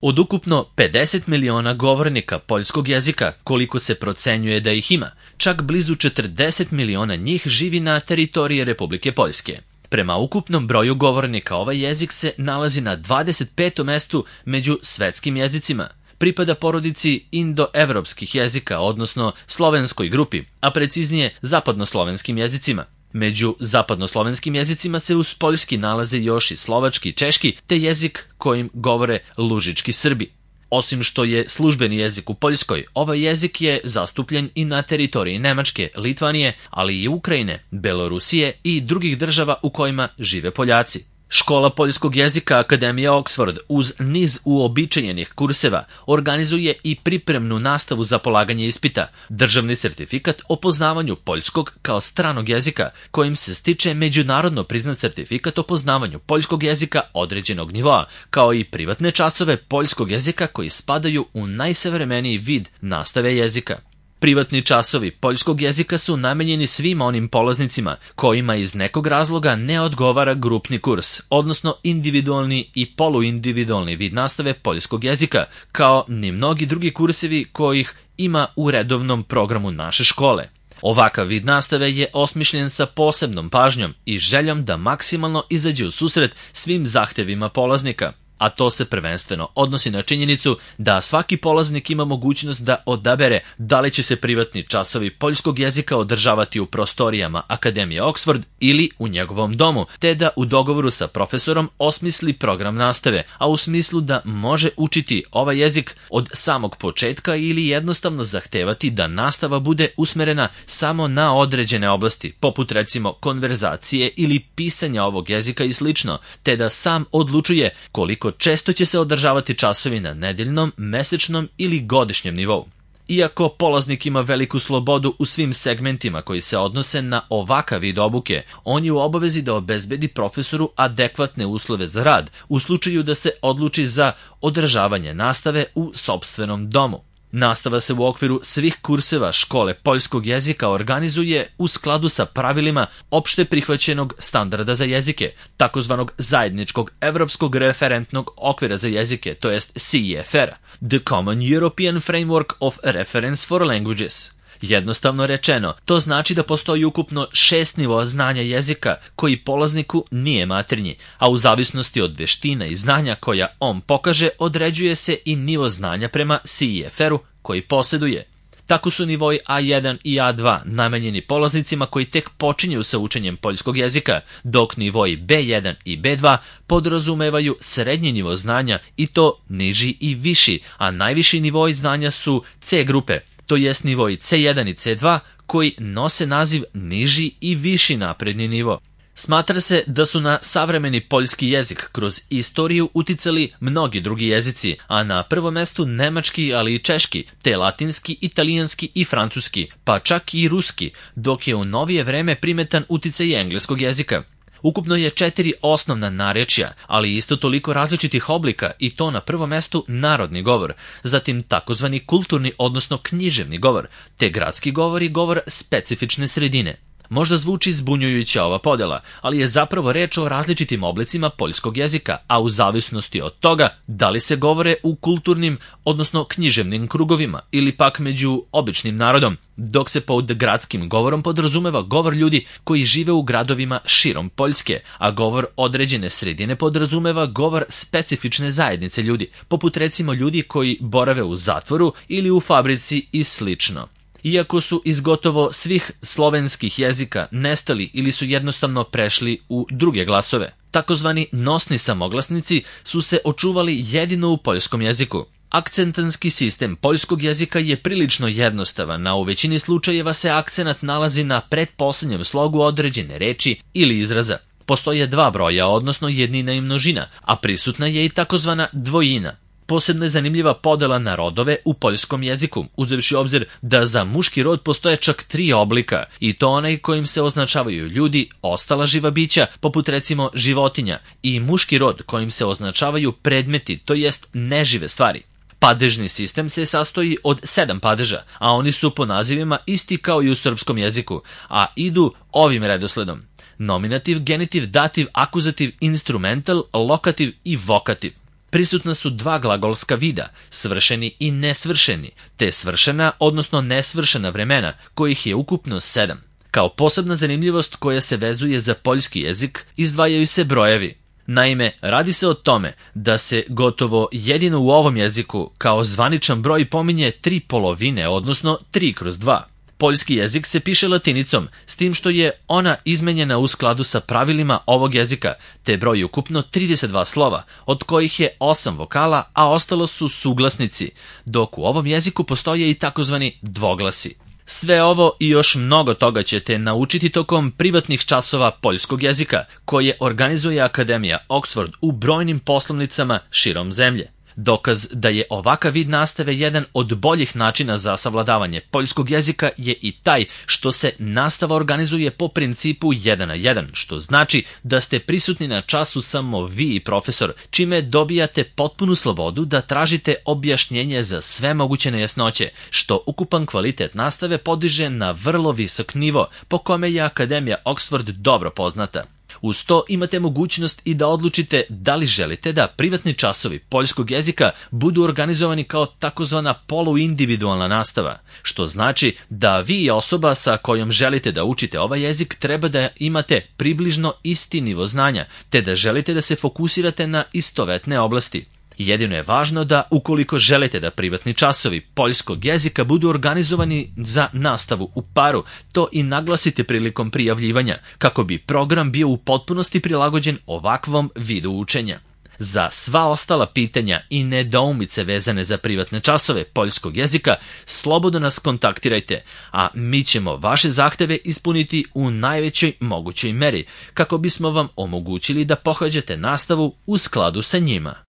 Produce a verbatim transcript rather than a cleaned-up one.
Od ukupno pedeset miliona govornika poljskog jezika, koliko se procenjuje da ih ima, čak blizu četrdeset miliona njih živi na teritoriji Republike Poljske. Prema ukupnom broju govornika ovaj jezik se nalazi na dvadeset petom mestu među svetskim jezicima. Pripada porodici indoevropskih jezika, odnosno slovenskoj grupi, a preciznije zapadnoslovenskim jezicima. Među zapadnoslovenskim jezicima se uz poljski nalaze još i slovački i češki, te jezik kojim govore lužički Srbi. Osim što je službeni jezik u Poljskoj, ovaj jezik je zastupljen i na teritoriji Nemačke, Litvanije, ali i Ukrajine, Belorusije i drugih država u kojima žive Poljaci. Škola poljskog jezika Akademija Oxford uz niz uobičajenih kurseva organizuje i pripremnu nastavu za polaganje ispita, državni sertifikat o poznavanju poljskog kao stranog jezika, kojim se stiče međunarodno priznat sertifikat o poznavanju poljskog jezika određenog nivoa, kao i privatne časove poljskog jezika koji spadaju u najsavremeniji vid nastave jezika. Privatni časovi poljskog jezika su namenjeni svim onim polaznicima kojima iz nekog razloga ne odgovara grupni kurs, odnosno individualni i poluindividualni vid nastave poljskog jezika, kao ni mnogi drugi kursevi kojih ima u redovnom programu naše škole. Ovakav vid nastave je osmišljen sa posebnom pažnjom i željom da maksimalno izađe u susret svim zahtevima polaznika, a to se prvenstveno odnosi na činjenicu da svaki polaznik ima mogućnost da odabere da li će se privatni časovi poljskog jezika održavati u prostorijama Akademije Oxford ili u njegovom domu, te da u dogovoru sa profesorom osmisli program nastave, a u smislu da može učiti ovaj jezik od samog početka ili jednostavno zahtevati da nastava bude usmerena samo na određene oblasti, poput recimo konverzacije ili pisanja ovog jezika i slično, te da sam odlučuje koliko često će se održavati časovi na nedeljnom, mesečnom ili godišnjem nivou. Iako polaznik ima veliku slobodu u svim segmentima koji se odnose na ovakav vid obuke, on je u obavezi da obezbedi profesoru adekvatne uslove za rad u slučaju da se odluči za održavanje nastave u sopstvenom domu. Nastava se u okviru svih kurseva škole poljskog jezika organizuje u skladu sa pravilima opšte prihvaćenog standarda za jezike, takozvanog zajedničkog evropskog referentnog okvira za jezike, to jest C E F R, The Common European Framework of Reference for Languages. Jednostavno rečeno, to znači da postoji ukupno šest nivoa znanja jezika koji polazniku nije maternji, a u zavisnosti od veština i znanja koja on pokaže određuje se i nivo znanja prema C E F R-u koji posjeduje. Tako su nivoi A jedan i A dva namenjeni polaznicima koji tek počinju sa učenjem poljskog jezika, dok nivoi B jedan i B dva podrazumevaju srednji nivo znanja i to niži i viši, a najviši nivoi znanja su C grupe, to jest nivoi C jedan i C dva koji nose naziv niži i viši napredni nivo. Smatra se da su na savremeni poljski jezik kroz istoriju uticali mnogi drugi jezici, a na prvom mestu nemački, ali i češki, te latinski, italijanski i francuski, pa čak i ruski, dok je u novije vreme primetan uticaj engleskog jezika. Ukupno je četiri osnovna narječja, ali isto toliko različitih oblika i to na prvom mestu narodni govor, zatim takozvani kulturni odnosno književni govor, te gradski govor i govor specifične sredine. Možda zvuči zbunjujuća ova podela, ali je zapravo reč o različitim oblicima poljskog jezika, a u zavisnosti od toga da li se govore u kulturnim, odnosno književnim krugovima ili pak među običnim narodom, dok se pod gradskim govorom podrazumeva govor ljudi koji žive u gradovima širom Poljske, a govor određene sredine podrazumeva govor specifične zajednice ljudi, poput recimo ljudi koji borave u zatvoru ili u fabrici i slično. Iako su iz gotovo svih slovenskih jezika nestali ili su jednostavno prešli u druge glasove, takozvani nosni samoglasnici su se očuvali jedino u poljskom jeziku. Akcentanski sistem poljskog jezika je prilično jednostavan, a u većini slučajeva se akcenat nalazi na pretposlednjem slogu određene reči ili izraza. Postoje dva broja, odnosno jednina i množina, a prisutna je i takozvana dvojina. Posebno je zanimljiva podela na rodove u poljskom jeziku, uzevši obzir da za muški rod postoje čak tri oblika, i to onaj kojim se označavaju ljudi, ostala živa bića, poput recimo životinja, i muški rod kojim se označavaju predmeti, to jest nežive stvari. Padežni sistem se sastoji od sedam padeža, a oni su po nazivima isti kao i u srpskom jeziku, a idu ovim redosledom: nominativ, genitiv, dativ, akuzativ, instrumental, lokativ i vokativ. prisutna su dva glagolska vida, svršeni i nesvršeni, te svršena, odnosno nesvršena vremena, kojih je ukupno sedam. Kao posebna zanimljivost koja se vezuje za poljski jezik, izdvajaju se brojevi. Naime, radi se o tome da se gotovo jedino u ovom jeziku kao zvaničan broj pominje tri polovine, odnosno tri kroz dva. Poljski jezik se piše latinicom, s tim što je ona izmenjena u skladu sa pravilima ovog jezika, te broji ukupno trideset dva slova, od kojih je osam vokala, a ostalo su suglasnici, dok u ovom jeziku postoje i takozvani dvoglasi. Sve ovo i još mnogo toga ćete naučiti tokom privatnih časova poljskog jezika, koje organizuje Akademija Oxford u brojnim poslovnicama širom zemlje. Dokaz da je ovakav vid nastave jedan od boljih načina za savladavanje poljskog jezika je i taj što se nastava organizuje po principu jedan na jedan, što znači da ste prisutni na času samo vi i profesor, čime dobijate potpunu slobodu da tražite objašnjenje za sve moguće nejasnoće, što ukupan kvalitet nastave podiže na vrlo visok nivo, po kome je Akademija Oxford dobro poznata. Uz to imate mogućnost i da odlučite da li želite da privatni časovi poljskog jezika budu organizovani kao takozvana poluindividualna nastava, što znači da vi i osoba sa kojom želite da učite ovaj jezik treba da imate približno isti nivo znanja, te da želite da se fokusirate na istovetne oblasti. Jedino je važno da, ukoliko želite da privatni časovi poljskog jezika budu organizovani za nastavu u paru, to i naglasite prilikom prijavljivanja, kako bi program bio u potpunosti prilagođen ovakvom vidu učenja. Za sva ostala pitanja i nedoumice vezane za privatne časove poljskog jezika, slobodno nas kontaktirajte, a mi ćemo vaše zahteve ispuniti u najvećoj mogućoj meri, kako bismo vam omogućili da pohađate nastavu u skladu sa njima.